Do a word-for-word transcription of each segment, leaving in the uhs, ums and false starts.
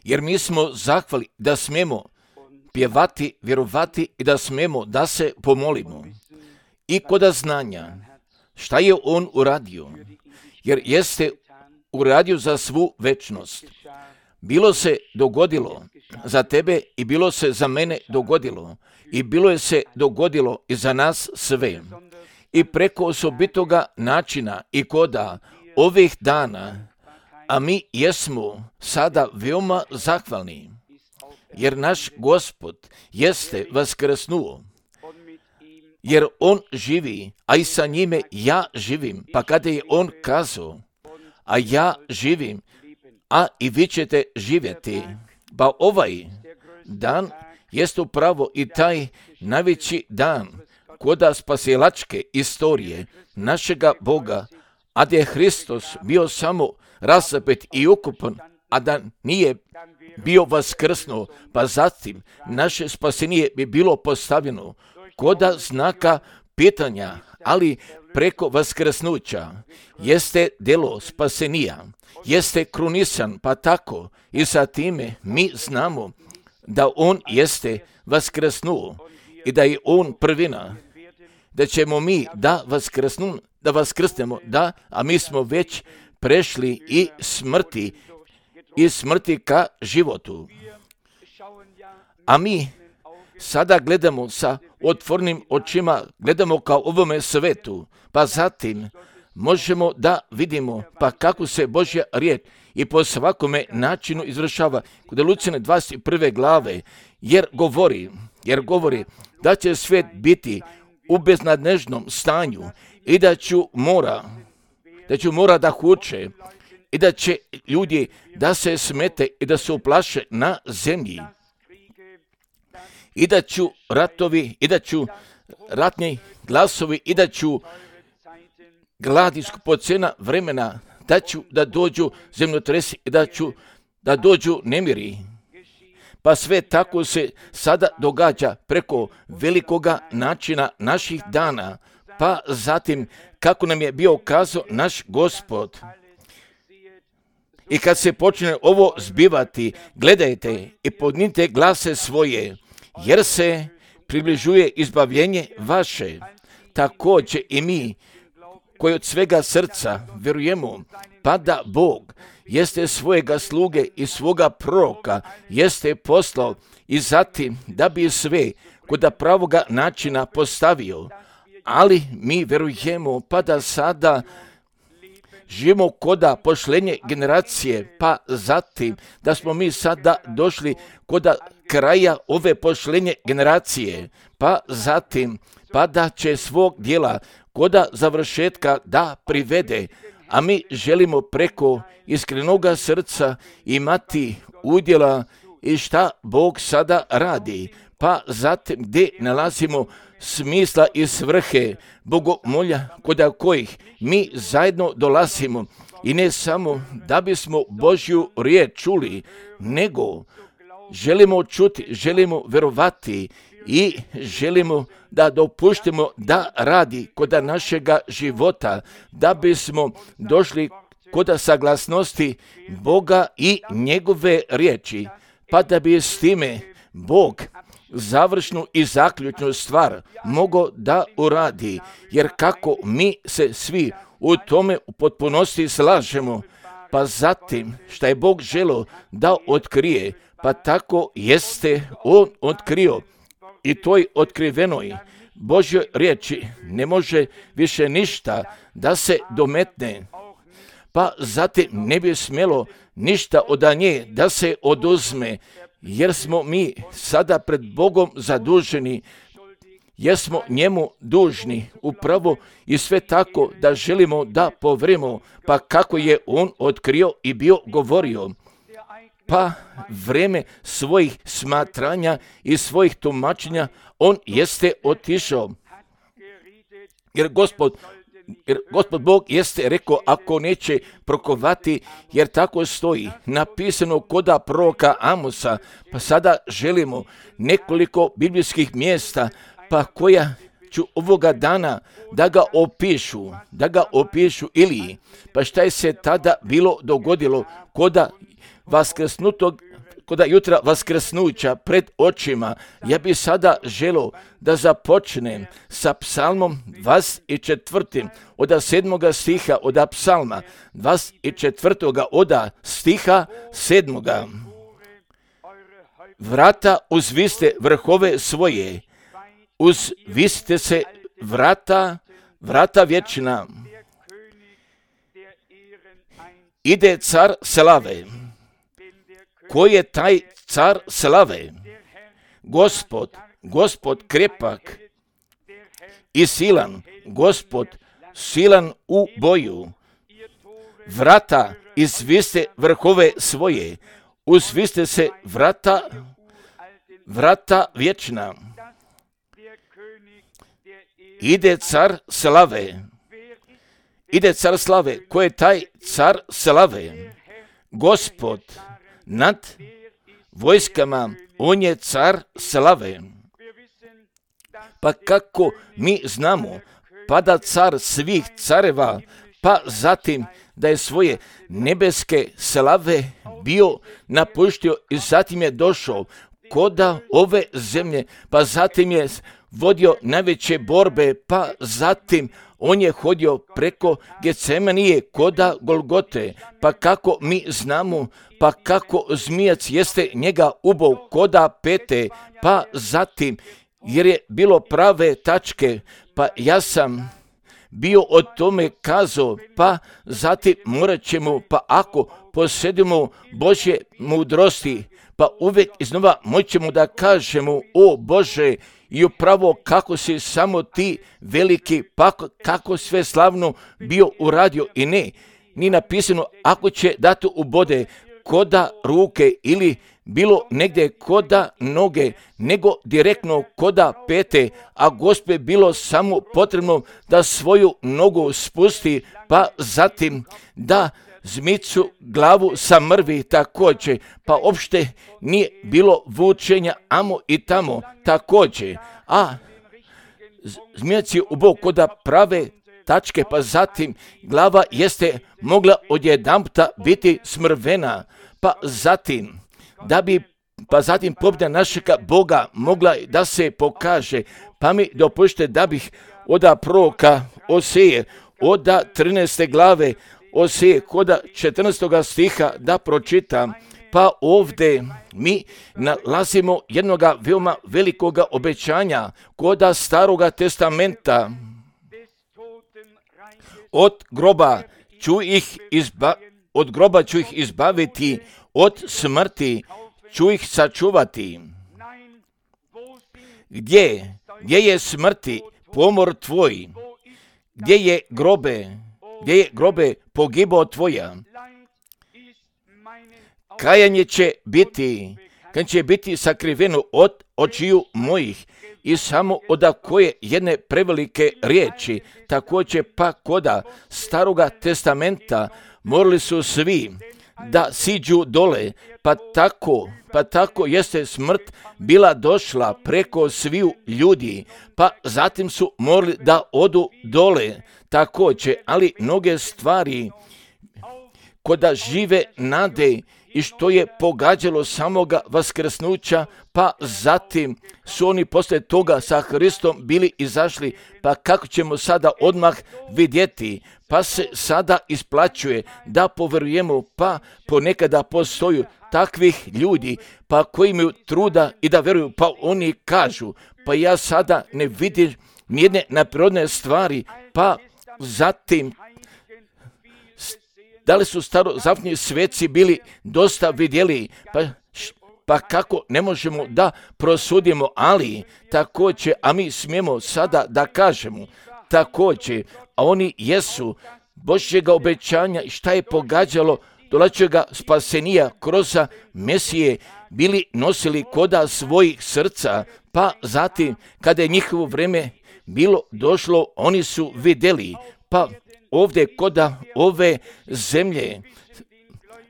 Jer mi smo zahvali da smijemo pjevati, vjerovati i da smijemo da se pomolimo. I kod znanja šta je on uradio, jer jeste uradio za svu večnost. Bilo se dogodilo za tebe i bilo se za mene dogodilo i bilo je se dogodilo i za nas sve. I preko osobitoga načina i koda ovih dana, a mi jesmo sada veoma zahvalni, jer naš Gospod jeste vaskrsnuo, jer on živi, a i sa njime ja živim. Pa kada je on kazao, a ja živim, a i vi ćete živjeti, pa ovaj dan jest upravo i taj najveći dan koda spasilačke istorije našega Boga, a da je Hristos bio samo rasapet i ukupan, a da nije bio vaskrsnuo, pa zatim naše spasenje bi bilo postavljeno koda znaka pitanja, ali preko vaskrsnuća jeste delo spasenija, jeste krunisan, pa tako i sa time mi znamo da on jeste vaskrsnuo i da je on prvina, da ćemo mi da vaskrsnu, da vaskrsnemo, da, a mi smo već prešli i smrti, i smrti ka životu. A mi sada gledamo sa otvornim očima, gledamo kao ovome svetu, pa zatim možemo da vidimo pa kako se Božja riječ i po svakome načinu izvršava. Kod Lucijane dvadeset prve glave, jer govori, jer govori da će svijet biti u beznadnežnom stanju i da ću mora, da ću mora da huče i da će ljudi da se smete i da se uplaše na zemlji. I da ću ratovi, i da ću ratni glasovi, i da ću gladi skupocena vremena, da ću da dođu zemljotresi i da ću da dođu nemiri. Pa sve tako se sada događa preko velikoga načina naših dana, pa zatim kako nam je bio kazao naš Gospod. I kad se počne ovo zbivati, gledajte i podnite glase svoje, jer se približuje izbavljenje vaše. Također i mi, koji od svega srca vjerujemo, pa da Bog jeste svojega sluge i svoga proroka jeste poslao i zatim da bi sve kod pravoga načina postavio. Ali mi vjerujemo pa da sada živimo koda pošlenje generacije, pa zatim da smo mi sada došli koda kraja ove pošlenje generacije, pa zatim pa da će svog dijela koda završetka da privede, a mi želimo preko iskrenoga srca imati udjela i šta Bog sada radi, pa zatim gdje nalazimo smisla i svrhe bogomolja koda kojih mi zajedno dolazimo i ne samo da bismo Božju riječ čuli, nego želimo čuti, želimo verovati i želimo da dopuštimo da radi koda našega života, da bismo došli koda saglasnosti Boga i njegove riječi, pa da bi s time Bog završnu i zaključnu stvar mogao da uradi, jer kako mi se svi u tome u potpunosti slažemo, pa zatim šta je Bog želeo da otkrije, pa tako jeste on otkrio i toj otkrivenoj Božjoj riječi ne može više ništa da se dometne, pa zatim ne bi smjelo ništa od nje da se oduzme, jer smo mi sada pred Bogom zaduženi, jer smo njemu dužni upravo i sve tako da želimo da povremo, pa kako je on otkrio i bio govorio. Pa vreme svojih smatranja i svojih tumačenja on jeste otišao. Jer Gospod, jer Gospod Bog jeste rekao ako neće prokovati, jer tako stoji napisano koda proroka Amosa, pa sada želimo nekoliko biblijskih mjesta, pa koja ću ovoga dana da ga opišu, da ga opišu Iliji. Pa šta je se tada bilo dogodilo koda vaskrsnutog, koda jutra vaskrsnuća pred očima? Ja bi sada želio da započnem sa psalmom dvadeset četvrtim od sedmoga stiha od psalma dvadeset četvrtoga od stiha sedmoga. Vrata uzviste vrhove svoje, uzvisite se vrata, vrata vječna. Ide car slave. Ko je taj car slave? Gospod, Gospod krepak i silan, Gospod silan u boju. Vrata izviste vrhove svoje, uzviste se vrata, vrata vječna. Ide car slave. Ide car slave. Ko je taj car slave? Gospod nad vojskama, on je car slave. Pa kako mi znamo, pa da car svih careva, pa zatim da je svoje nebeske slave bio napuštio i zatim je došao koda ove zemlje, pa zatim je vodio najveće borbe, pa zatim on je hodio preko Getsemanije koda Golgote. Pa kako mi znamo, pa kako zmijac jeste njega ubao koda pete, pa zatim jer je bilo prave tačke, pa ja sam bio o tome kazao, pa zatim morat ćemo, pa ako posjedimo Božje mudrosti, pa uvijek iznova moćemo da kažemo, o Bože, i upravo kako si samo ti veliki, pa kako sve slavno bio uradio i ne, ni napisano ako će dati ubode koda ruke ili bilo negdje koda noge, nego direktno koda pete, a Gospe bilo samo potrebno da svoju nogu spusti, pa zatim da zmicu glavu samrvi također, pa opšte nije bilo vučenja amo i tamo također, a zmijac je ubao koda prave tačke, pa zatim glava jeste mogla odjedanputa biti smrvena, pa zatim da bi pa zatim pobjeda našega Boga mogla da se pokaže, pa mi dopušte da bih oda proroka Oseje, oda trinaeste glave Oseje, koda četrnaestoga stiha da pročitam, pa ovdje mi nalazimo jednoga veoma velikoga obećanja koda Staroga testamenta. Od groba ću ih izba, od groba ću ih izbaviti, od smrti ću ih sačuvati. Gdje, gdje je smrti pomor tvoj? Gdje je grobe, gdje je grobe pogibao tvoja? Kajanje će biti, kad će biti sakriveno od očiju mojih i samo od koje jedne prevelike riječi, također pa koda Staroga testamenta morali su svi da siđu dole, pa tako, pa tako jeste smrt bila došla preko sviju ljudi, pa zatim su morali da odu dole također, ali mnoge stvari koda žive nade i što je pogađalo samoga vaskrsnuća, pa zatim su oni poslije toga sa Hristom bili izašli, pa kako ćemo sada odmah vidjeti, pa se sada isplaćuje da poverujemo, pa ponekada postoju takvih ljudi, pa koji imaju truda i da veruju, pa oni kažu, pa ja sada ne vidim nijedne naprirodne stvari, pa zatim da li su starozavjetni sveci bili dosta vidjeli, pa, pa kako ne možemo da prosudimo, ali također, a mi smijemo sada da kažemo, također, a oni jesu Božjega obećanja, šta je pogađalo dolačega spasenija kroz Mesije, bili nosili koda svojih srca, pa zatim kada je njihovo vrijeme bilo došlo, oni su vidjeli, pa ovdje koda ove zemlje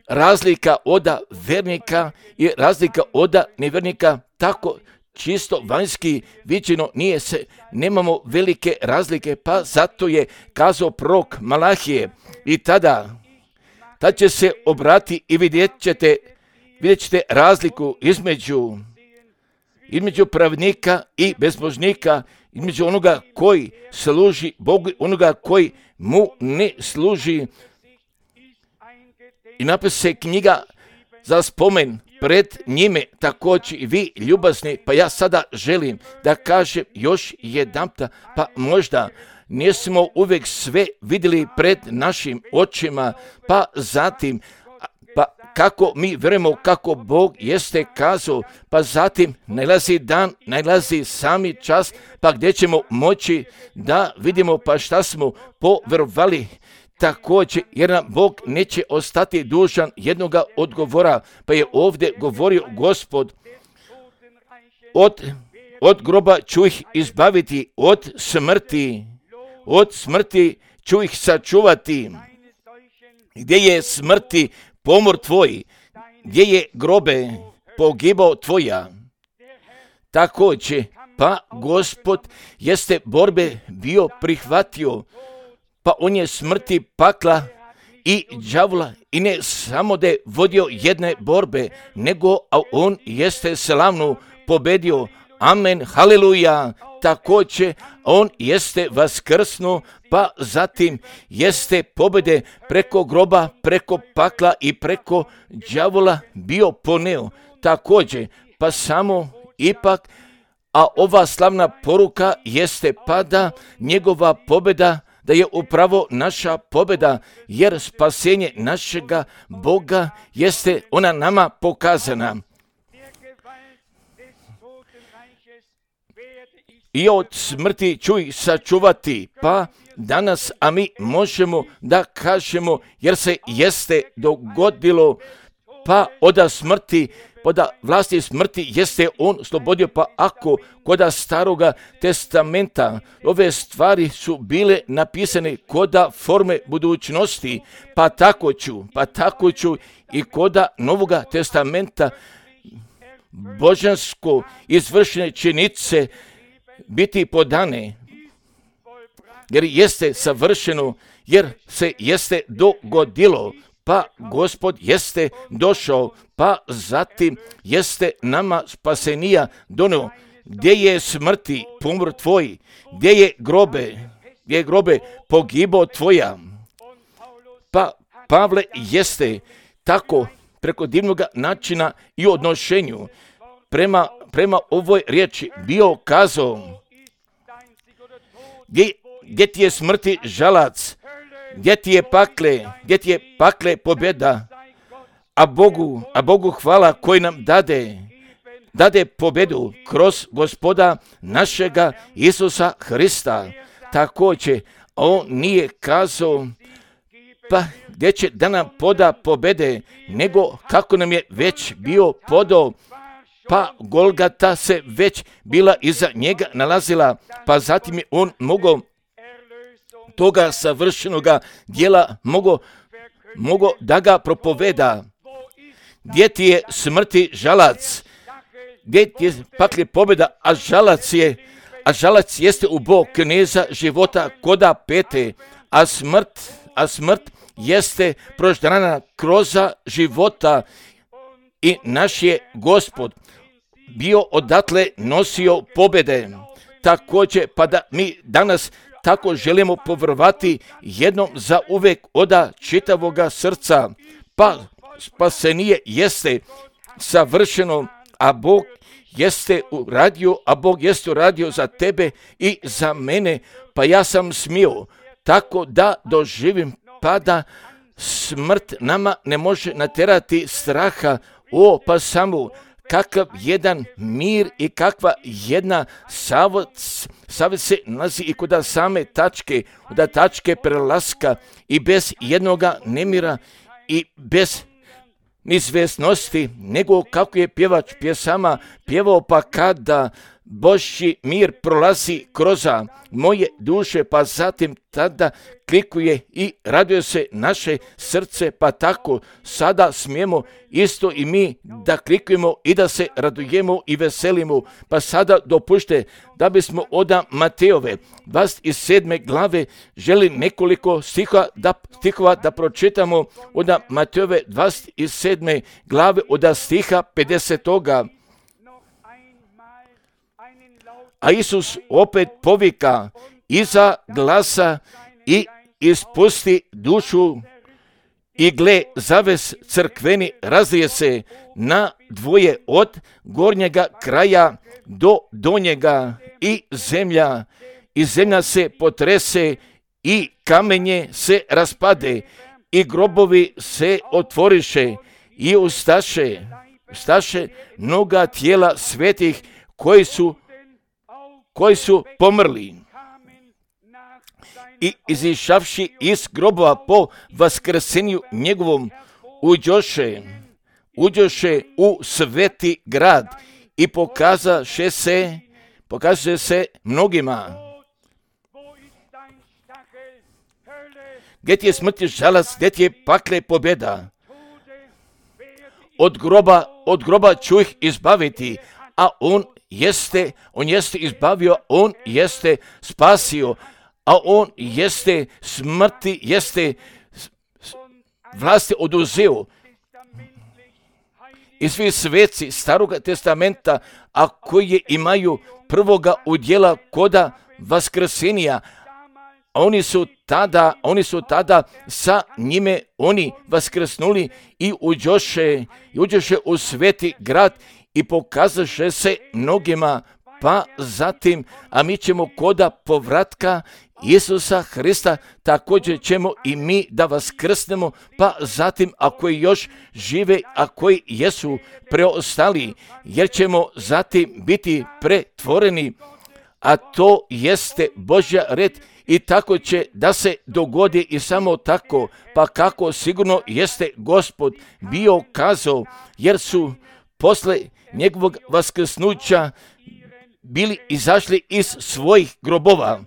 razlika od vernika i razlika od nevernika, tako čisto vanjski viđeno nije se, nemamo velike razlike, pa zato je kazao prorok Malahije i tada, tad će se obrati i vidjet ćete, vidjet ćete razliku između, između pravnika i bezbožnika, između onoga koji služi Bogu i onoga koji mu ne služi. I napiše se knjiga za spomen pred njime, također i vi ljubazni, pa ja sada želim da kažem još jedanputa, pa možda nismo uvijek sve vidjeli pred našim očima, pa zatim, pa kako mi vjerujemo kako Bog jeste kazao, pa zatim najlazi dan, najlazi sami čas, pa gdje ćemo moći da vidimo pa šta smo povjerovali. Također, jer nam Bog neće ostati dužan jednoga odgovora, pa je ovdje govorio Gospod, od, od groba ću ih izbaviti, od smrti, od smrti ću ih sačuvati. Gdje je smrti pomor tvoj, gdje je grobe pogibao tvoja. Također, pa Gospod jeste borbe bio prihvatio, pa on je smrti pakla i đavola i ne samo da je vodio jedne borbe, nego a on jeste slavnu pobedio. Amen, haleluja. Također, on jeste vaskrsnuo, pa zatim jeste pobjede preko groba, preko pakla i preko đavola bio poneo. Također, pa samo ipak, a ova slavna poruka jeste pada njegova pobjeda, da je upravo naša pobjeda, jer spasenje našega Boga jeste ona nama pokazana. I od smrti ću ih sačuvati, pa danas, a mi možemo da kažemo, jer se jeste dogodilo, pa od smrti, poda vlasti smrti jeste on slobodio, pa ako koda staroga testamenta ove stvari su bile napisane koda forme budućnosti, pa tako ću, pa tako ću i koda novoga testamenta božansko izvršene činice biti podane, jer jeste savršeno, jer se jeste dogodilo, pa Gospod jeste došao, pa zatim jeste nama spasenija donio. Gdje je smrti pomor tvoj, gdje je grobe, gdje je grobe pogibao tvoja. Pa Pavle jeste tako preko divnog načina i odnošenju prema, prema ovoj riječi bio kazao, gdje, gdje ti je smrti žalac, gdje ti je pakle, gdje ti je pakle pobjeda, a Bogu, a Bogu hvala koji nam dade, dade pobjedu kroz Gospoda našega Isusa Hrista. Također, on nije kazao, pa gdje će da nam poda pobjede, nego kako nam je već bio podao, pa Golgata se već bila iza njega nalazila, pa zatim je on mogao toga savršenoga djela mogo, mogo da ga propoveda. Gdje ti je smrti žalac, gdje ti je pakli pobjeda, a žalac je, a žalac jeste u Bog kneza života koda pete, a smrt, a smrt jeste proždrana kroza života i naš je Gospod bio odatle nosio pobjede. Također, pa da mi danas tako želimo povjerovati jednom za uvijek oda čitavoga srca, pa spasenije jeste savršeno, a Bog jeste uradio, a Bog jeste uradio za tebe i za mene, pa ja sam smio tako da doživim, pa da smrt nama ne može naterati straha. O, pa samo kakav jedan mir i kakva jedna savjet se nalazi i kod same tačke, kod tačke prelaska i bez jednoga nemira i bez izvjesnosti, nego kako je pjevač pjesama pjevao, pa kada Božji mir prolazi kroz moje duše, pa zatim tada klikuje i raduje se naše srce, pa tako sada smijemo isto i mi da klikujemo i da se radujemo i veselimo. Pa sada dopušte da bismo od Mateove dvadeset sedme glave želi nekoliko stihova da, stihova da pročitamo od Mateove dvadeset sedme glave od stiha pedesetoga. A Isus opet povika iza glasa i ispusti dušu, i gle, zaves crkveni razlije se na dvoje od gornjega kraja do donjega, i zemlja, i zemlja se potrese, i kamenje se raspade, i grobovi se otvoriše, i ustaše, ustaše mnoga tijela svetih koji su koji su pomrli, i izišavši iz grobova po vaskrsenju njegovom uđoše, uđoše u sveti grad i pokazaše se, pokazuje se mnogima. Gdje ti je smrti žalac, gdje ti je pakle pobjeda? Od groba, od groba ću ih izbaviti, a on jeste, on jeste izbavio, on jeste spasio, a on jeste smrti, jeste vlasti oduzeo. I svi sveci Staroga testamenta, a koji imaju prvoga udjela koda vaskrsenja, oni su tada, oni su tada sa njime, oni vaskrsnuli i uđoše, i uđoše u sveti grad i pokazaše se mnogima, pa zatim, a mi ćemo koda povratka Isusa Hrista, također ćemo i mi da vaskrsnemo, pa zatim ako još žive, a koji jesu preostali, jer ćemo zatim biti pretvoreni, a to jeste Božja red, i tako će da se dogodi i samo tako, pa kako sigurno jeste Gospod bio kazao, jer su posle njegovog vaskrsnuća bili izašli iz svojih grobova,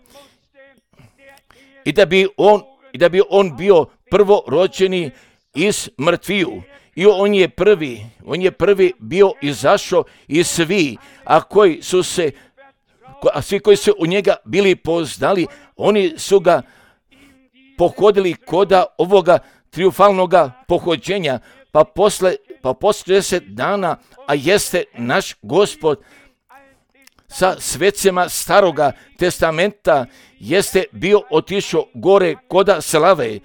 i da bi on, i da bi on bio prvorođeni iz mrtviju. I on je prvi, on je prvi bio izašao i svi, a koji su se, a svi koji su u njega bili poznali, oni su ga pohodili koda ovoga triumfalnoga pohođenja, pa posle, pa posle deset dana, a jeste naš Gospod sa svecima Staroga testamenta, jeste bio otišao gore koda slave,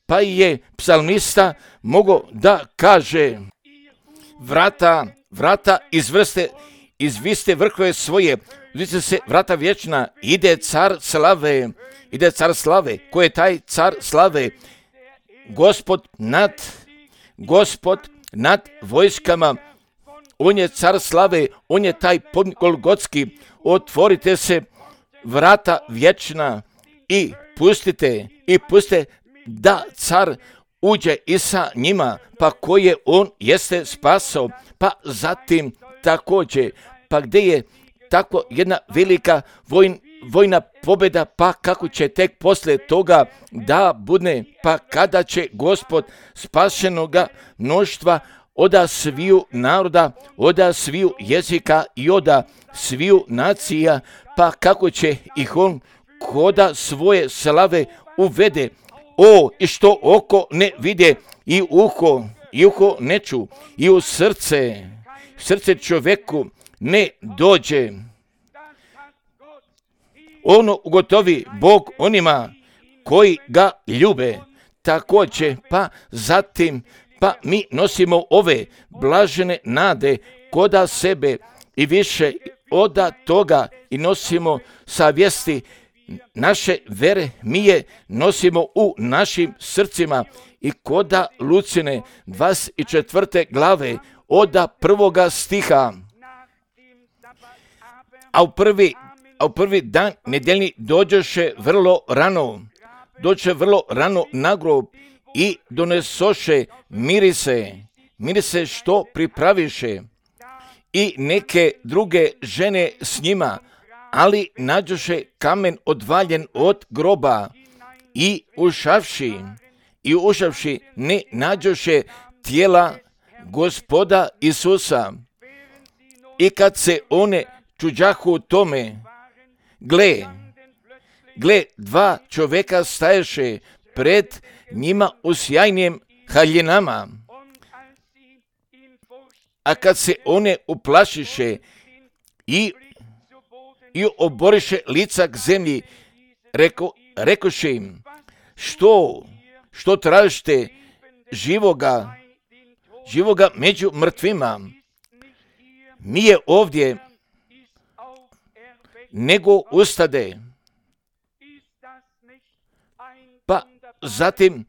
pa je psalmista mogao da kaže: vrata, vrata izvrste, izviste vrhove svoje, uzviste se vrata vječna, ide car slave, ide car slave. Ko je taj car slave? Gospod nad, Gospod nad vojskama, on je car slave, on je taj podnik Golgotski. Otvorite se vrata vječna i pustite, i pustite da car uđe i sa njima, pa koje on jeste spasao, pa zatim također, pa gdje je tako jedna velika vojn, vojna pobjeda, pa kako će tek poslije toga da bude, pa kada će Gospod spašenoga mnoštva oda sviju naroda, oda sviju jezika i oda sviju nacija, pa kako će ih on koda svoje slave uvede. O, i što oko ne vide, i uho, i uho ne ču, i u srce, srce čovjeku ne dođe. Ono ugotovi Bog onima koji ga ljube. Također, pa zatim, pa mi nosimo ove blažene nade koda sebe i više oda toga i nosimo savjesti naše vere, mi je nosimo u našim srcima, i koda Lucine dvadeset četvrte glave oda prvoga stiha. A u prvi, a u prvi dan nedjeljni dođoše vrlo rano, dođe vrlo rano na grob i donesoše mirise, mirise što pripraviše. i neke druge žene s njima, ali nađoše kamen odvaljen od groba i ušavši, i ušavši ne nađoše tijela Gospoda Isusa. I kad se one čuđahu u tome, gle, gle, dva čovjeka staješe pred njima u sjajnim haljinama. A kad se one uplašiše i, i oboriše lica k zemlji, reko, rekoše im, što, što tražite živoga, živoga među mrtvima? Nije ovdje, nego ustade. Pa zatim,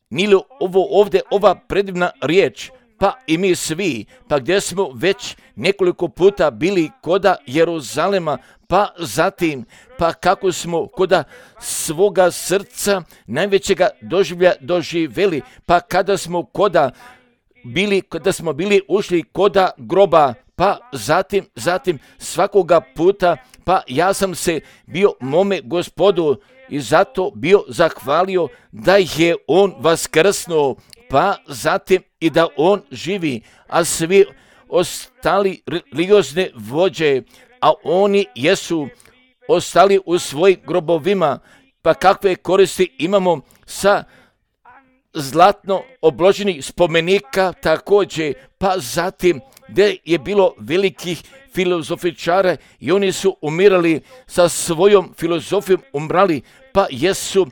nije ovo ovdje ova predivna riječ, pa i mi svi, pa gdje smo već nekoliko puta bili koda Jeruzalema, pa zatim, pa kako smo koda svoga srca najvećega doživlja doživjeli, pa kada smo koda bili, kada smo bili ušli koda groba, pa zatim, zatim svakoga puta, pa ja sam se bio mome Gospodu i zato bio zahvalio da je on vaskrsnuo, pa zatim i da on živi, a svi ostali religiozne vođe, a oni jesu ostali u svojim grobovima, pa kakve koristi imamo sa zlatno obloženih spomenika također, pa zatim gdje je bilo velikih filozofičara i oni su umirali sa svojom filozofijom, umrali, pa jesu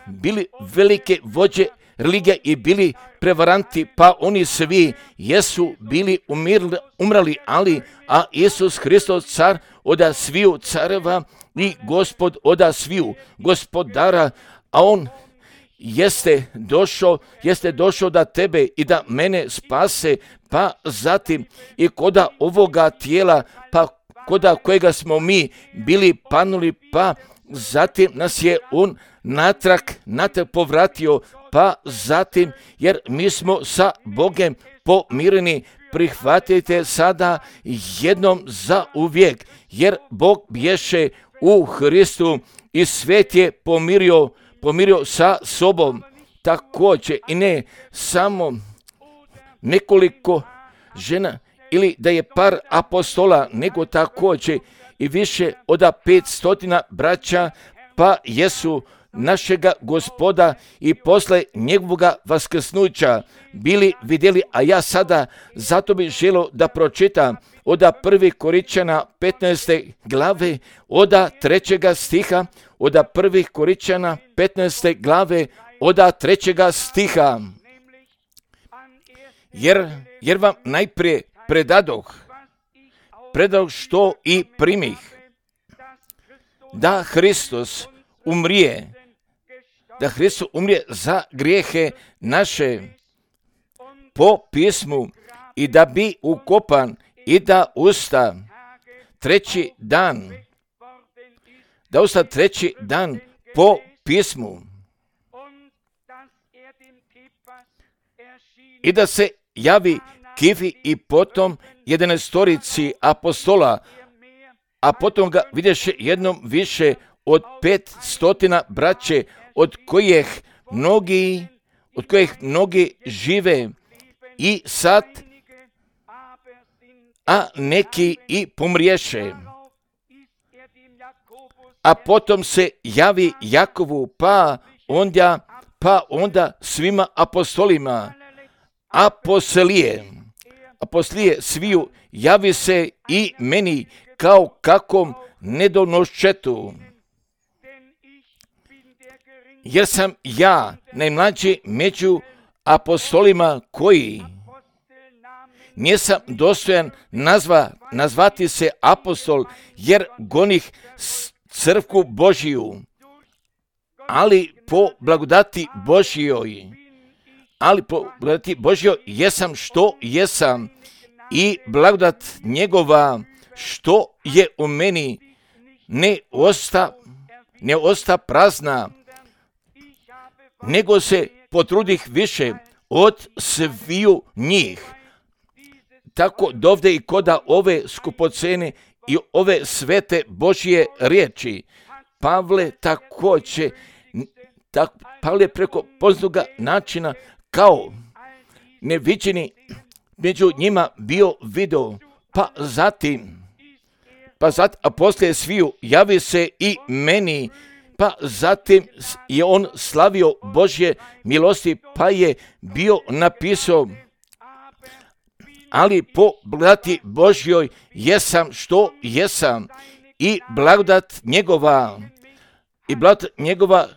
bili velike vođe religija i bili prevaranti, pa oni svi jesu bili umirali, umrali, ali a Isus Hristos car oda sviju careva i Gospod oda sviju gospodara, a on jeste došao, jeste došao da tebe i da mene spase, pa zatim i koda ovoga tijela, pa koda kojega smo mi bili panuli, pa zatim nas je on natrag, natrag povratio, pa zatim, jer mi smo sa Bogem pomireni, prihvatite sada jednom za uvijek, jer Bog bješe u Hristu i svijet je pomirio, pomirio sa sobom. Također i ne samo nekoliko žena ili da je par apostola, nego također i više od petstotina braća, pa jesu našega Gospoda i posle njegovoga vaskrsnuća bili vidjeli, a ja sada zato bih želio da pročitam od prvi Korinčana petnaeste glave, od trećega stiha, od prvi Korinčana petnaeste glave, od trećega stiha. Jer, jer vam najprije predadoh, predadoh što i primih, da Hristos umrije, da Hristos umrije za grijehe naše po pismu i da bi ukopan i da usta treći dan, da usta treći dan po pismu i da se javi Kifi i potom jedanaestorici apostola, a potom ga vidješe jednom više od pet stotina braće, od kojih mnogi, od kojih mnogi žive i sad, a neki i pomriješe. A potom se javi Jakovu, pa onda, pa onda svima apostolima, a poslije, a poslije sviju javi se i meni kao kakom nedonoščetu. Jer sam ja najmlađi među apostolima koji nisam dostojan nazva, nazvati se apostol, jer gonih crkvu Božiju, ali po blagodati Božjoj, ali po blagodati Božjoj jesam što jesam i blagodat njegova što je u meni ne osta, ne osta prazna, nego se potrudih više od sviju njih. tako dovde i koda ove skupocene i ove svete Božje riječi. Pavle također, tak, Pavle preko poznatoga načina kao neviđeni među njima bio video, pa zatim, pa zatim, a poslije sviju javi se i meni, pa zatim je on slavio Božje milosti, pa je bio napisao, ali po blagodati Božjoj jesam što jesam i blagodat njegova, i blagodat njegova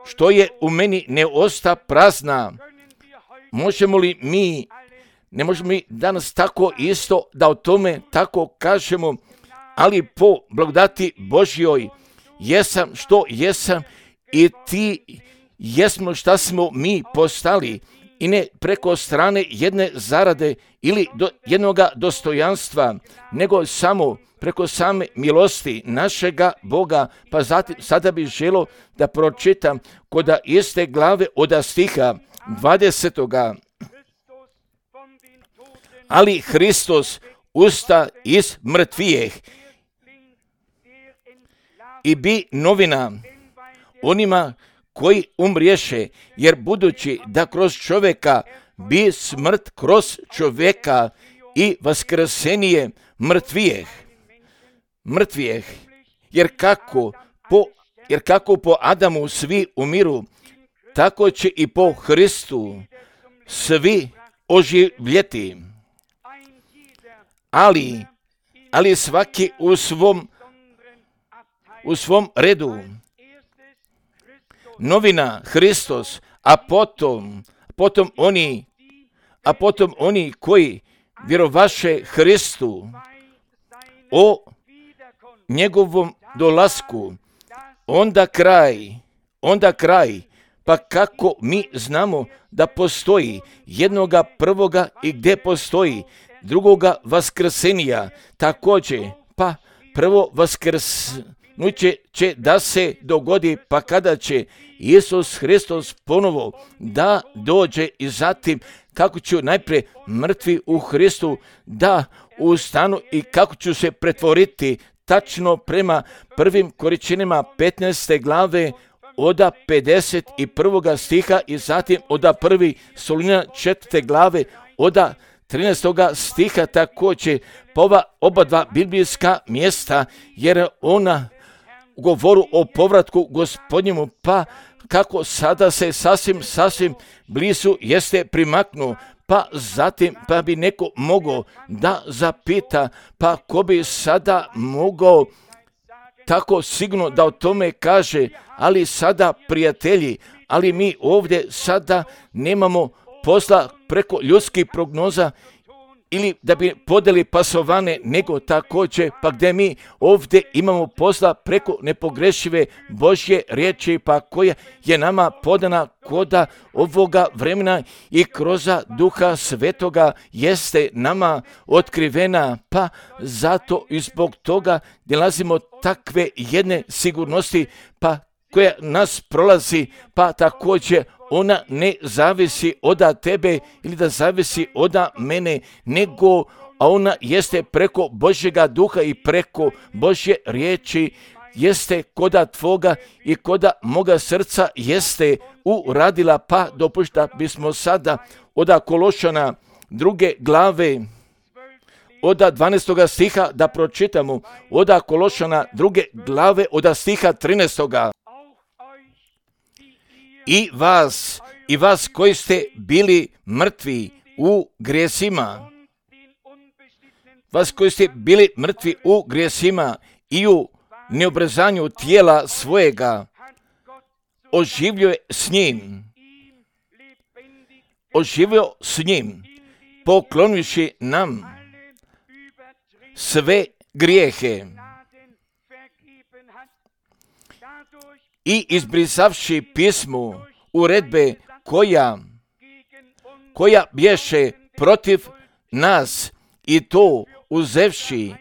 što je u meni ne osta prazna. Možemo li mi, ne možemo mi danas tako isto da o tome tako kažemo, ali po blagodati Božjoj jesam što jesam i ti jesmo šta smo mi postali, i ne preko strane jedne zarade ili do jednoga dostojanstva, nego samo preko same milosti našega Boga. Pa zatim, sada bih želio da pročitam koda iste glave od stiha dvadesetoga. Ali Hristos usta iz mrtvijeh i bi novina onima koji umriješe, jer budući da kroz čovjeka bi smrt kroz čovjeka i vaskrsenije mrtvijeh, mrtvijeh, jer kako po, jer kako po Adamu svi umiru, tako će i po Hristu svi oživljeti. Ali, ali svaki u svom, u svom redu. Novina Hristos, a potom, potom oni, a potom oni koji vjerovaše Hristu o njegovom dolasku, onda kraj, onda kraj, pa kako mi znamo da postoji jednoga prvoga i gdje postoji drugoga vaskrsenija, također, pa prvo vaskrsnuće će da se dogodi, pa kada će Isus Hristos ponovo da dođe, i zatim kako ću najprije mrtvi u Hristu da ustanu i kako ću se pretvoriti tačno prema prvim Korinćanima petnaeste glave od pedeset prvoga stiha, i zatim od prvi Solunjana četvrte glave od trinaestoga stiha također, po ova oba dva biblijska mjesta, jer ona govoru o povratku Gospodnjemu, pa kako sada se sasvim, sasvim blizu jeste primaknu, pa zatim pa bi neko mogao da zapita, pa ko bi sada mogao tako sigurno da o tome kaže, ali sada prijatelji, ali mi ovdje sada nemamo posla preko ljudskih prognoza ili da bi podeli pasovane, nego također pa gdje mi ovdje imamo posla preko nepogrešive Božje riječi, pa koja je nama podana koda ovoga vremena i kroz Duha Svetoga jeste nama otkrivena, pa zato i zbog toga nalazimo takve jedne sigurnosti, pa koja nas prolazi, pa također ona ne zavisi od tebe ili da zavisi od mene, nego a ona jeste preko Božjega duha i preko Božje riječi, jeste koda tvoga i koda moga srca jeste uradila, pa dopušta bismo sada od Kološana druge glave od dvanaestoga stiha da pročitamo, od Kološana druge glave od stiha trinaestoga. I vas, i vas koji ste bili mrtvi u grijesima, vas koji ste bili mrtvi u grijesima i u neobrazanju tijela svojega, oživio je s njim, oživio s njim, poklonivši nam sve grijehe i izbrisavši pismu uredbe koja, koja bješe protiv nas, i to uzevši,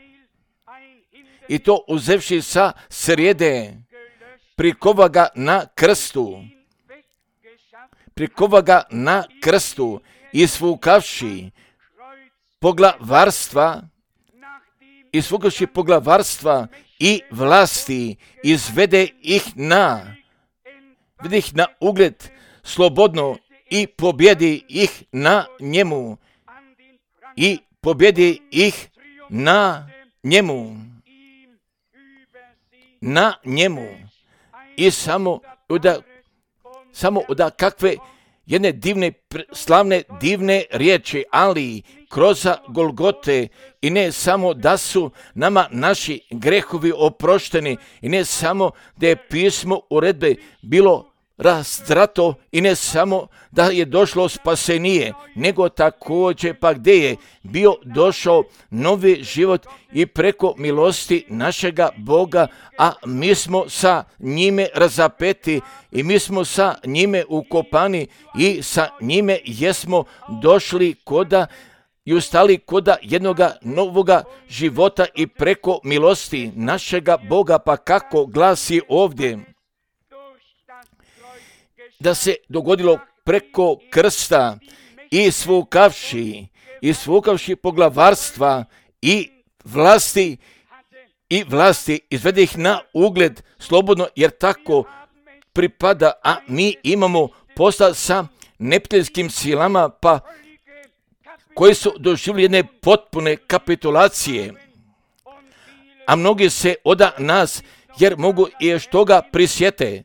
i to uzevši sa srijede, prikova ga na krstu, prikova ga na krstu, isfukavši poglavarstva, izvukavši poglavarstva i vlasti, izvede ih na, vede ih na ugled slobodno i pobjedi ih na njemu. I pobjedi ih na njemu. Na njemu. I samo da, samo da kakve jedne divne, slavne, divne riječi, ali kroz Golgote, i ne samo da su nama naši grehovi oprošteni, i ne samo da je pismo uredbe bilo razdrato, i ne samo da je došlo spasenije, nego također pa gdje je bio došao novi život i preko milosti našega Boga, a mi smo sa njime razapeti i mi smo sa njime ukopani i sa njime jesmo došli koda i ustali koda jednoga novoga života i preko milosti našega Boga. Pa kako glasi ovdje? Da se dogodilo preko krsta i svukavši, i svukavši poglavarstva i vlasti, i vlasti, izvede ih na ugled slobodno, jer tako pripada, a mi imamo posla sa neprijateljskim silama, pa koji su doživjeli jedne potpune kapitulacije, a mnogi se od nas, jer mogu i još toga prisjete.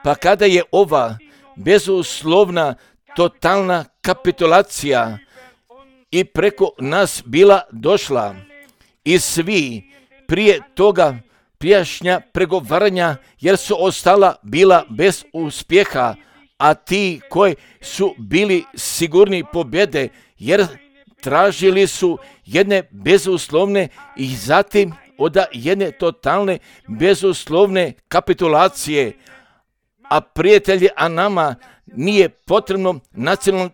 Pa kada je ova bezuslovna, totalna kapitulacija i preko nas bila došla, i svi prije toga prijašnja pregovaranja, jer su ostala bila bez uspjeha, a ti koji su bili sigurni pobjede, jer tražili su jedne bezuslovne i zatim od jedne totalne bezuslovne kapitulacije. A prijatelji, a nama nije potrebno nacionalno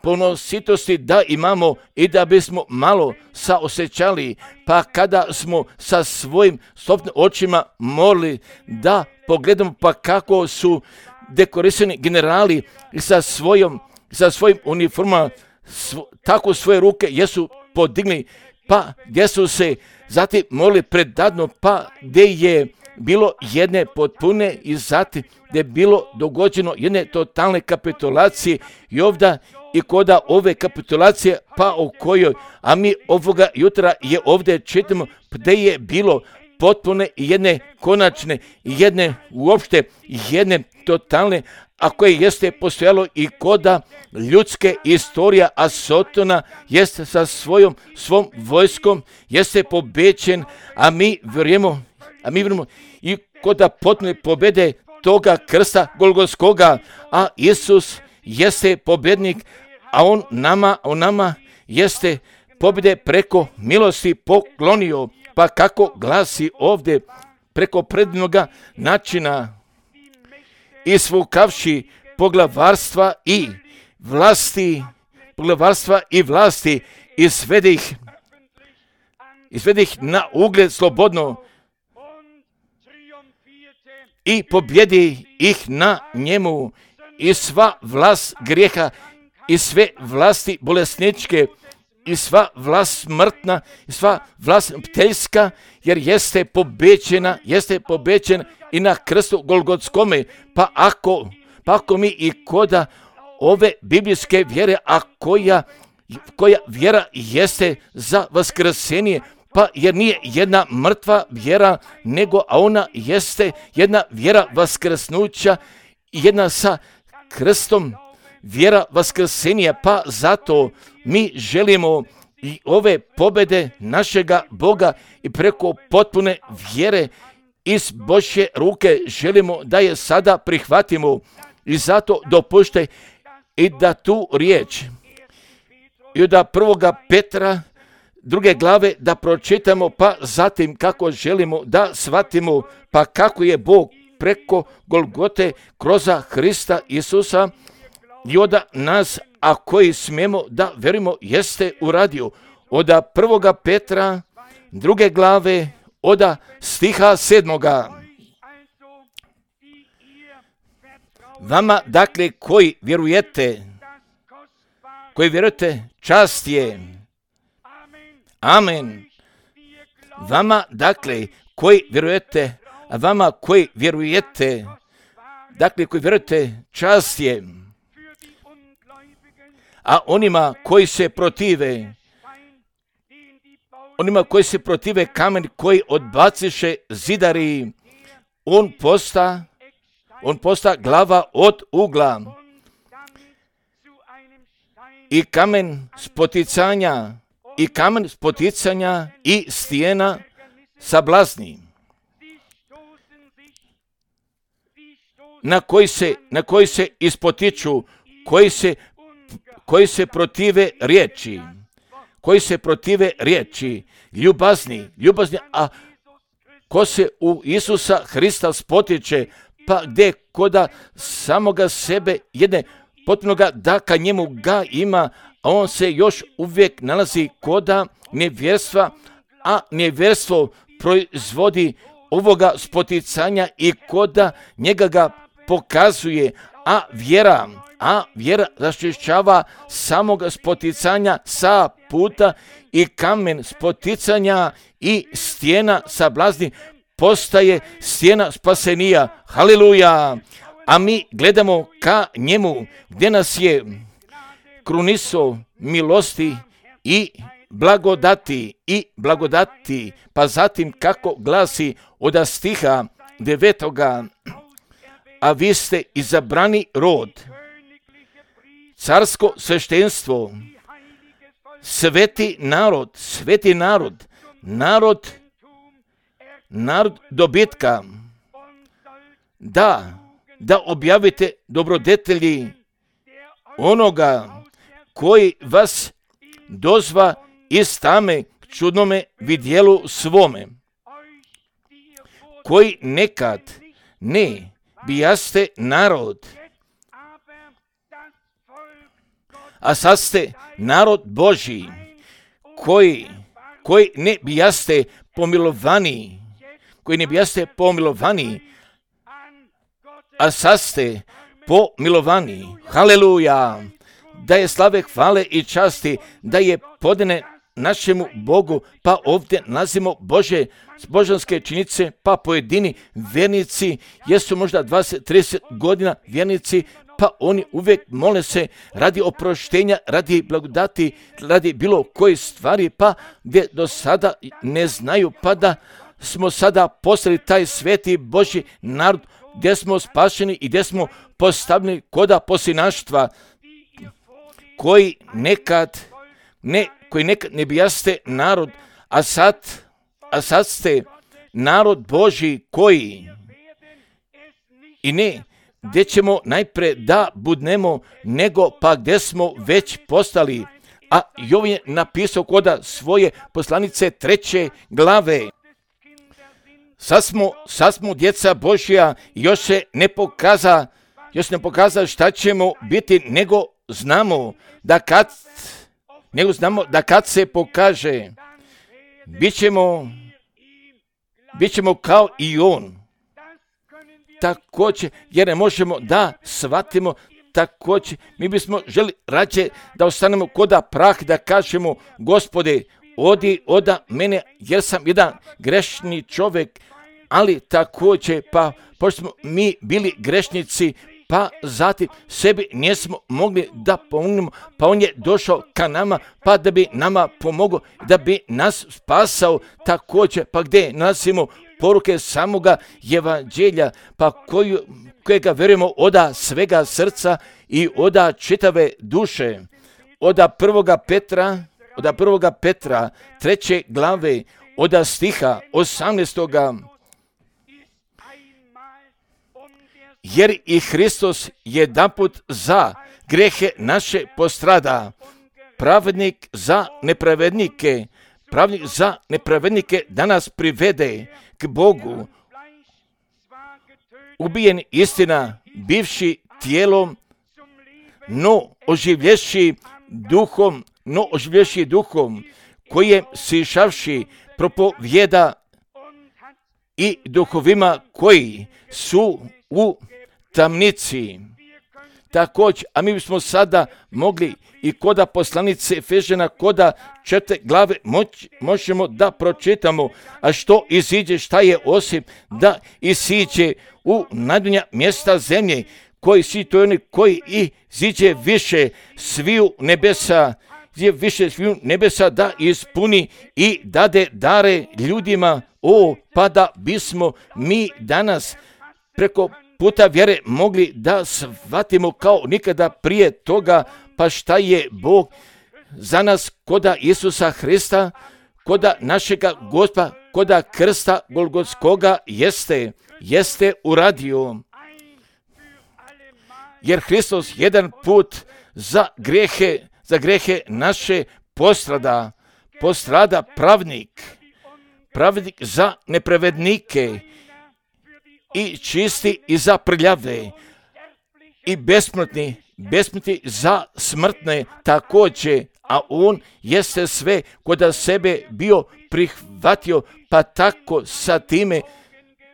ponositosti da imamo i da bismo malo saosjećali, pa kada smo sa svojim sobstvenim očima morali da pogledamo pa kako su dekorisani generali i sa svojom, sa svojim uniformama, svo, tako svoje ruke jesu podigli, pa gdje su se zatim morali predadno, pa gdje je bilo jedne potpune i zatim gdje je bilo dogođeno jedne totalne kapitulacije i ovdje i koda ove kapitulacije, pa o kojoj, a mi ovoga jutra je ovdje čitamo gdje je bilo potpune i jedne konačne, jedne uopšte, jedne totalne, a koje jeste postojalo i koda ljudske istorija, a Sotona jeste sa svojom svom vojskom, jeste pobećen, a mi vjerujemo, a mi vjerujemo i koda potpune pobjede toga krsta Golgotskoga, a Isus jeste pobjednik, a on nama, on nama jeste pobjede preko milosti poklonio. Pa kako glasi ovdje preko predivnoga načina, i svukavši poglavarstva i vlasti, poglavarstva i vlasti, izvede ih, izvede ih na ugled slobodno i pobjedi ih na njemu, i sva vlast grijeha i sve vlasti bolesničke i sva vlast smrtna i sva vlast pteljska, jer jeste pobećena, jeste pobećena i na krstu Golgotskome. Pa ako, pa ako mi i koda ove biblijske vjere, a koja, koja vjera jeste za vaskrsenje, pa jer nije jedna mrtva vjera, nego a ona jeste jedna vjera vaskrsnuća, jedna sa krstom vjera vaskrsenja, pa zato mi želimo i ove pobjede našega Boga i preko potpune vjere iz Božje ruke želimo da je sada prihvatimo, i zato dopuštaj i da tu riječ i da prvoga Petra druge glave da pročitamo, pa zatim kako želimo da shvatimo pa kako je Bog preko Golgote kroz Hrista Isusa i od nas, a koji smijemo da verimo, jeste uradio. Od prvoga Petra druge glave od stiha sedmoga. Vama, dakle, koji vjerujete koji vjerujete, čast je. Amen. Vama, dakle, koji vjerujete, a vama koji vjerujete, dakle, koji vjerujete, čast je. A onima koji se protive, onima koji se protive kamen koji odbaciše zidari, on posta, on posta glava od ugla i kamen spoticanja, i kamen spoticanja i stijena sablazni, na koji se, na koji se ispotiču, koji se, koji se protive riječi, koji se protive riječi, ljubazni, ljubazni, a ko se u Isusa Hrista spotiče, pa gdje koda samoga sebe jedne potpunoga da ka njemu ga ima, a on se još uvijek nalazi koda nevjerstva, a nevjerstvo proizvodi ovoga spoticanja i koda njega ga pokazuje, a vjera, a vjera raščišćava samoga spoticanja sa puta i kamen spoticanja i stijena sablazni postaje stijena spasenija. Haleluja! A mi gledamo ka njemu gdje nas je kruniso milosti i blagodati i blagodati, pa zatim kako glasi od stiha devetoga, a vi ste izabrani rod, carsko sveštenstvo, sveti narod, sveti narod, narod, narod dobitka, da, da objavite dobrodetelji onoga koji vas dozva iz tame k čudnome vidjelu svome, koji nekad ne bijaste narod, a sad ste narod Božji, koji, koji ne bijaste pomilovani, koji ne bijaste pomilovani, a sad ste pomilovani. Haleluja! Da je slave, hvale i časti, da je podane našemu Bogu, pa ovdje nalazimo Bože, božanske činjice, pa pojedini vjernici, jesu možda dvadeset trideset godina vjernici, pa oni uvijek mole se radi oproštenja, radi blagodati, radi bilo koje stvari, pa gdje do sada ne znaju, pa da smo sada postali taj sveti Božji narod, gdje smo spašeni i gdje smo postavljeni koda posinaštva, koji nekad ne, koji nekad ne bijaste narod, a sad, a sad ste narod Božji, koji i ne gdje ćemo najprije da budnemo, nego pa gdje smo već postali. A Jovan je napisao koda svoje poslanice treće glave. Sad smo, sad smo djeca Božja, još se ne pokaza, još ne pokaza šta ćemo biti, nego znamo da kad, nego znamo da kad se pokaže, bit ćemo, bit ćemo kao i on. Također, jer ne možemo da shvatimo, također, mi bismo želi rađe da ostanemo koda prah, da kažemo, Gospode, odi oda mene, jer sam jedan grešni čovjek, ali također, pa pošto smo mi bili grešnici, pa zatim sebi nismo mogli da pomognemo, pa on je došao ka nama, pa da bi nama pomogao, da bi nas spasao također, pa gdje nalazimo poruke samoga evanđelja, pa koju, kojega vjerujemo oda svega srca i oda čitave duše, oda prvoga Petra, oda prvoga Petra, treće glave, oda stiha osamnaestoga, jer i Hristos jedanput za grehe naše postrada, pravednik za nepravednike, pravednik za nepravednike da nas privede k Bogu, ubijen istina, bivši tijelom, no oživlješi duhom, no oživlješi duhom, kojem sišavši propovjeda i duhovima koji su u tamnici. također, a mi bismo sada mogli i koda poslanice Efežana, koda četiri glave moć, možemo da pročitamo, a što iziđe, šta je osim da isiđe u najdonja mjesta zemlje, koji si to oni koji i ziđe više sviju nebesa, je više sviju nebesa da ispuni i dade dare ljudima, o, pa da bismo mi danas preko puta vjere mogli da shvatimo kao nikada prije toga, pa šta je Bog za nas koda Isusa Hrista, koda našega Gospa, koda krsta Golgotskoga jeste, jeste uradio. Jer Hristos jedan put za grehe, za grehe naše postrada, postrada pravnik, pravnik za nepravednike i čisti i za prljave i besmrtni, besmrtni za smrtne također, a on jeste sve koda sebe bio prihvatio, pa tako sa time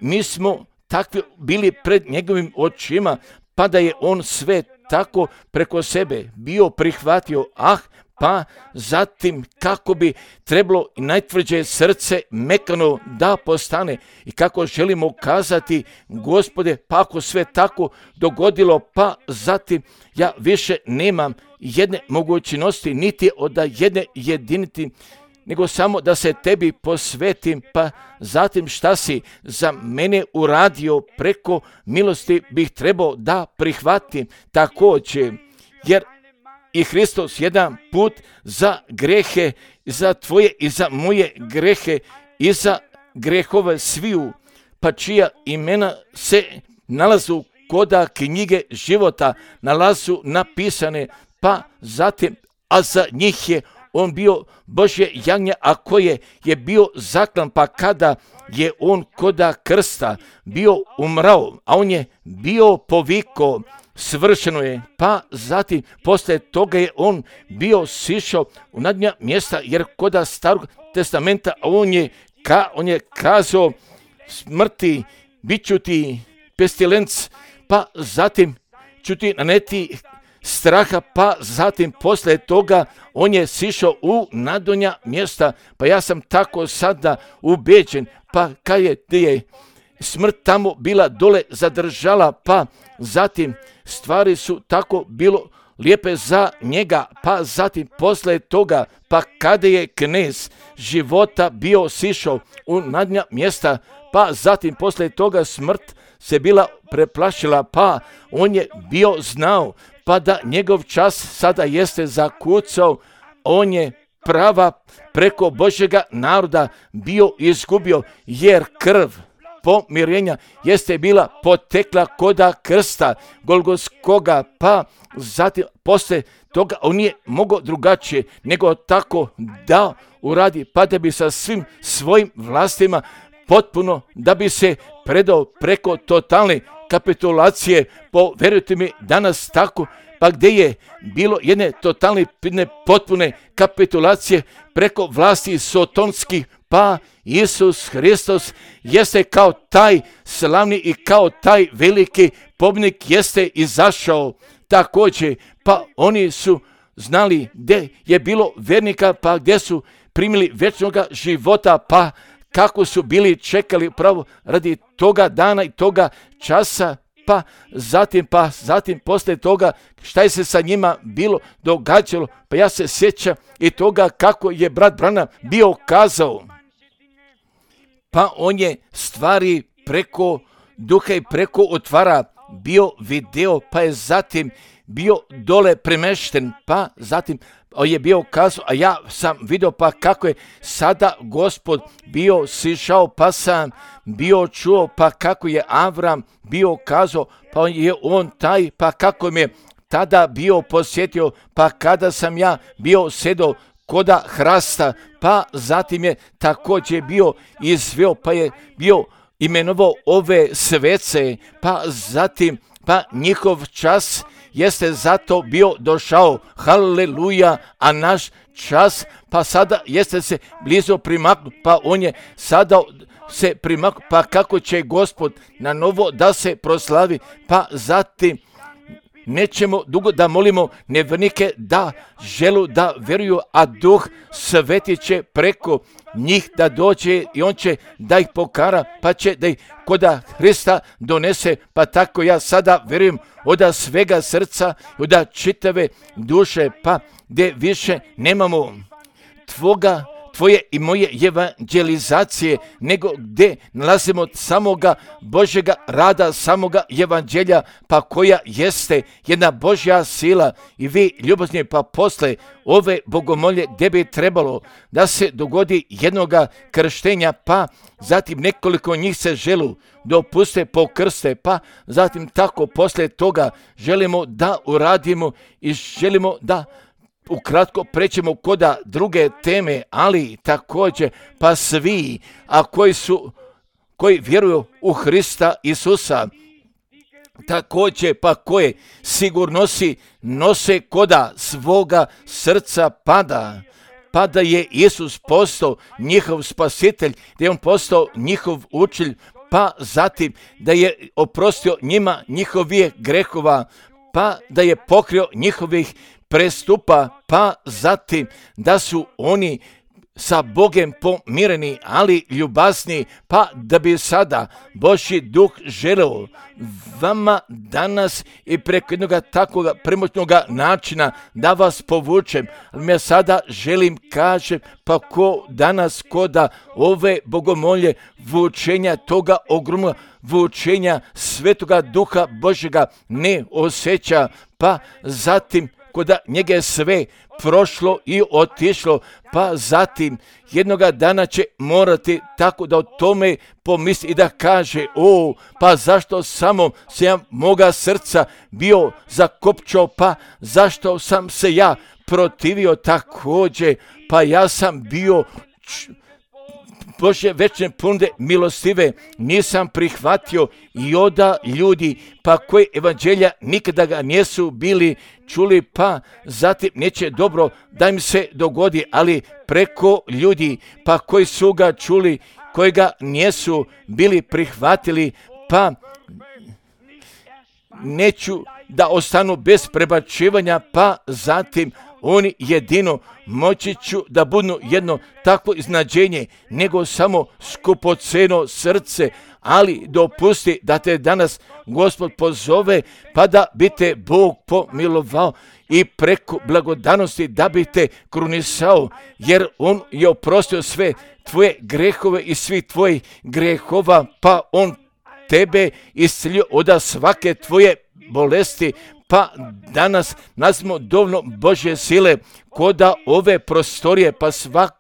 mi smo takvi bili pred njegovim očima, pa da je on sve tako preko sebe bio prihvatio, ah, pa zatim kako bi trebalo i najtvrđe srce mekano da postane i kako želimo kazati, Gospode, pa ako sve tako dogodilo, pa zatim ja više nemam jedne mogućnosti, niti od jedne jediniti, nego samo da se tebi posvetim, pa zatim šta si za mene uradio preko milosti bih trebao da prihvatim također, jer i Hristos jedan put za grehe, za tvoje i za moje grehe i za grehove sviju, pa čija imena se nalazu koda knjige života, nalazu napisane, pa zatim, a za njih je on bio Božje jagnje, a koje je bio zaklan, pa kada je on koda krsta bio umrao, a on je bio poviko, svršeno je, pa zatim poslije toga je on bio sišao u nadnja mjesta, jer koda starog testamenta on je, ka, on je kazao smrti, bit ću ti pestilenc, pa zatim ću ti naneti straha, pa zatim poslije toga on je sišao u nadonja mjesta, pa ja sam tako sada ubeđen, pa kad je, je smrt tamo bila dole zadržala, pa zatim stvari su tako bilo lijepe za njega, pa zatim poslije toga, pa kada je knez života bio sišao u nadnja mjesta, pa zatim poslije toga smrt se bila preplašila, pa on je bio znao, pa da njegov čas sada jeste zakucao, on je prava preko Božjega naroda bio izgubio, jer krv pomirenja jeste bila potekla koda krsta Golgotskoga, pa zatim poslije toga on nije mogao drugačije nego tako da uradi, pa da bi sa svim svojim vlastima potpuno da bi se predao preko totalne kapitulacije, povjerujte mi danas tako, pa gdje je bilo jedne totalne, jedne potpune kapitulacije preko vlasti sotonskih, pa Isus Hristos jeste kao taj slavni i kao taj veliki pobjednik jeste izašao također, pa oni su znali gdje je bilo vernika, pa gdje su primili vječnoga života, pa kako su bili čekali pravo radi toga dana i toga časa, pa zatim, pa zatim poslije toga šta je se sa njima bilo događalo, pa ja se sjećam i toga kako je brat Branham bio kazao, pa on je stvari preko duha i preko otvara bio video, pa je zatim bio dole premešten, pa zatim je bio kazao, a ja sam vidio pa kako je sada Gospod bio sišao, pa sam bio čuo, pa kako je Avram bio kazao, pa je on taj, pa kako me tada bio posjetio, pa kada sam ja bio sedao koda hrasta, pa zatim je također bio izveo, pa je bio imenovao ove svece, pa zatim, pa njihov čas jeste zato bio došao, haleluja, a naš čas, pa sada jeste se blizu primaknu, pa on je sada se primaknu, pa kako će Gospod na novo da se proslavi, pa zatim nećemo dugo da molimo nevjernike da želu da vjeruju, a Duh Sveti će preko njih da dođe i on će da ih pokara, pa će da ih koda Hrista donese. Pa tako ja sada vjerujem od svega srca, od čitave duše, pa gdje više nemamo tvoga, tvoje i moje evanđelizacije, nego gdje nalazimo samoga Božjega rada, samoga evanđelja, pa koja jeste jedna Božja sila. I vi, ljubazni, pa posle ove bogomolje gdje bi trebalo da se dogodi jednoga krštenja, pa zatim nekoliko njih se želu dopuste pokrste, pa zatim tako posle toga želimo da uradimo i želimo da ukratko prećemo koda druge teme, ali također pa svi, a koji su, koji vjeruju u Hrista Isusa, također pa koje sigurnosti nose koda svoga srca pada, pa da je Isus postao njihov spasitelj, da je on postao njihov učitelj, pa zatim da je oprostio njima njihovih grehova, pa da je pokrio njihovih prestupa, pa zatim da su oni sa Bogem pomireni, ali ljubazni, pa da bi sada Božji duh želeo vama danas i preko jednog takvog premoćnog načina da vas povučem. Ali ja sada želim kažem, pa ko danas koda ove bogomolje vučenja toga ogromnog vučenja Svetoga Duha Božjega ne osjeća, pa zatim koda njega je sve prošlo i otišlo, pa zatim jednoga dana će morati tako da o tome pomisli i da kaže, o, pa zašto samo se ja moga srca bio zakopčao, pa zašto sam se ja protivio također, pa ja sam bio č- Bože večne ponude milostive nisam prihvatio i oda ljudi pa koji evanđelja nikada ga nisu bili čuli, pa zatim neće dobro da im se dogodi, ali preko ljudi pa koji su ga čuli, koji ga nisu bili prihvatili, pa neću da ostanu bez prebačivanja, pa zatim oni jedino moći ću da budu jedno takvo iznađenje, nego samo skupoceno srce, ali dopusti da te danas Gospod pozove, pa da bi te Bog pomilovao i preko blagodanosti da bi te krunisao, jer on je oprostio sve tvoje grehove i svi tvojih grehova, pa on tebe iscelio od svake tvoje bolesti, pa danas nazimo dovoljno Božje sile koda ove prostorije, pa svak,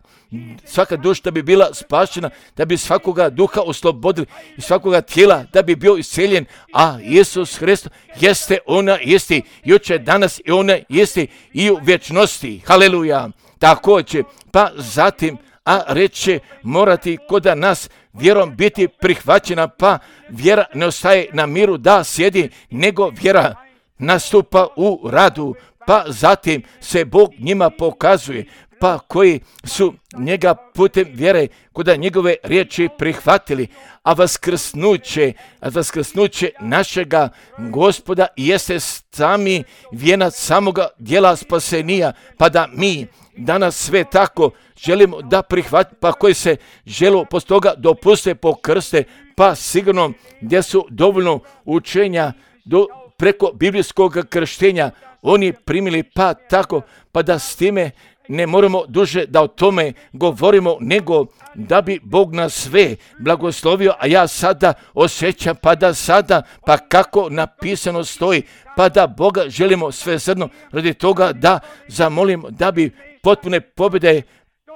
svaka duša da bi bila spašena, da bi svakoga duha oslobodili i svakoga tijela da bi bio isceljen, a Isus Hristos jeste ona isti, jučer, danas i ona isti i u vječnosti. Haleluja. Također, pa zatim, a reće morati koda nas vjerom biti prihvaćena, pa vjera ne ostaje na miru da sjedi, nego vjera nastupa u radu, pa zatim se Bog njima pokazuje, pa koji su njega putem vjere koda njegove riječi prihvatili, a vaskrsnuće, a vaskrsnuće našega Gospoda jeste sami vijenac samoga djela spasenija, pa da mi danas sve tako želimo da prihvatimo, pa koji se žele poslije toga dopuste pokrste, pa sigurno gdje su dovoljno učenja do preko biblijskog krštenja oni primili, pa tako, pa da s time ne moramo duže da o tome govorimo, nego da bi Bog nas sve blagoslovio, a ja sada osjećam, pa da sada, pa kako napisano stoji, pa da Boga želimo sve zrno radi toga da zamolimo da bi potpune pobjede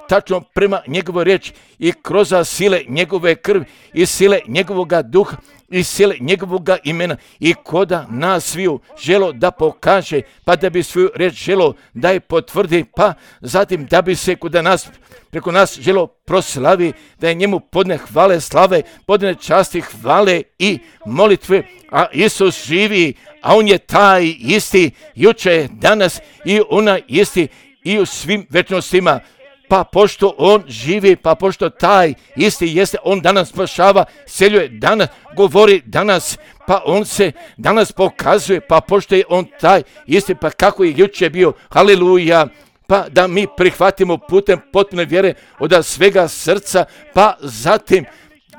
tačno prema njegovoj riječi i kroz sile njegove krvi i sile njegovoga duha i sile njegovoga imena i koda nas sviju želo da pokaže, pa da bi svoju riječ želo da je potvrdi, pa zatim da bi se koda nas, preko nas želo proslavi, da je njemu podne hvale, slave, podne časti, hvale i molitve, a Isus živi, a on je taj isti, juče, danas i ona isti i u svim večnostima. Pa pošto on živi, pa pošto taj isti jeste, on danas spašava, seljuje danas, govori danas, pa on se danas pokazuje, pa pošto je on taj isti, pa kako je jučer bio, haleluja, pa da mi prihvatimo putem potpune vjere od svega srca, pa zatim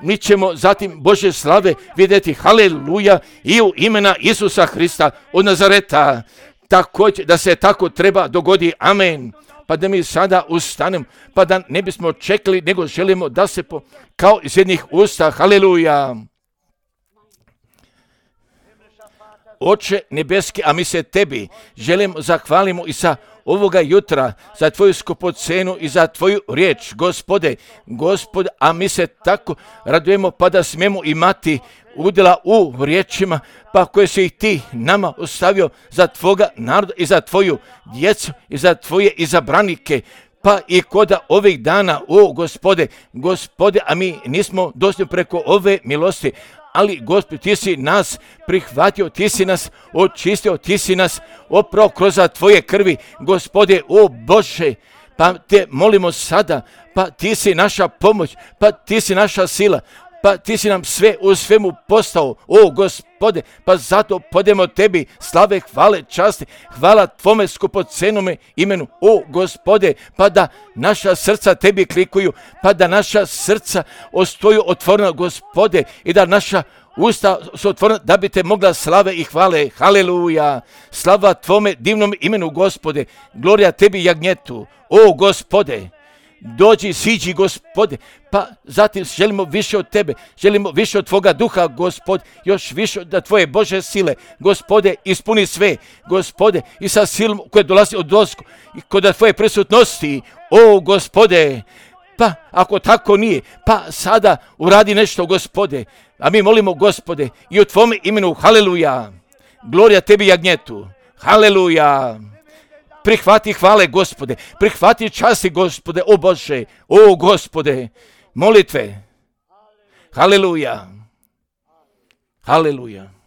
mi ćemo zatim Božje slave vidjeti, haleluja, i u imena Isusa Hrista od Nazareta. Također da se tako treba dogodi, amen. Pa da mi sada ustanem, pa da ne bismo čekali, nego želimo da se po, kao iz jednih usta, haleluja. Oče nebeski, a mi se tebi želimo zahvalimo i sa ovoga jutra za tvoju skupocenu i za tvoju riječ, Gospode, Gospode, a mi se tako radujemo pa da smijemo imati udjela u riječima, pa koje si ih ti nama ostavio za tvoga naroda i za tvoju djecu i za tvoje izabranike, pa i koda ovih dana, o Gospode, Gospode, a mi nismo došli preko ove milosti, ali Gospod, ti si nas prihvatio, ti si nas očistio, ti si nas oprao kroz tvoje krvi, Gospode, o Bože, pa te molimo sada, pa ti si naša pomoć, pa ti si naša sila, pa ti si nam sve u svemu postao, o Gospode, pa zato podemo tebi slave, hvale, časti, hvala tvome skupocenome imenu, o Gospode, pa da naša srca tebi klikuju, pa da naša srca ostoju otvorena, Gospode, i da naša usta su otvorena da bi te mogla slave i hvale, haleluja, slava tvome divnom imenu, Gospode, glorija tebi jagnjetu, o Gospode, dođi, siđi, Gospode, pa zatim želimo više od tebe, želimo više od tvoga duha, Gospod, još više da tvoje Bože sile, Gospode, ispuni sve, Gospode, i sa silom koje dolazi od dosku, i kod tvoje prisutnosti, o Gospode, pa ako tako nije, pa sada uradi nešto, Gospode, a mi molimo, Gospode, i u tvome imenu, haleluja, glorija tebi jagnjetu, haleluja. Prihvati hvale, Gospode, prihvati časti, Gospode, o Bože, o Gospode, molitve, haleluja, haleluja.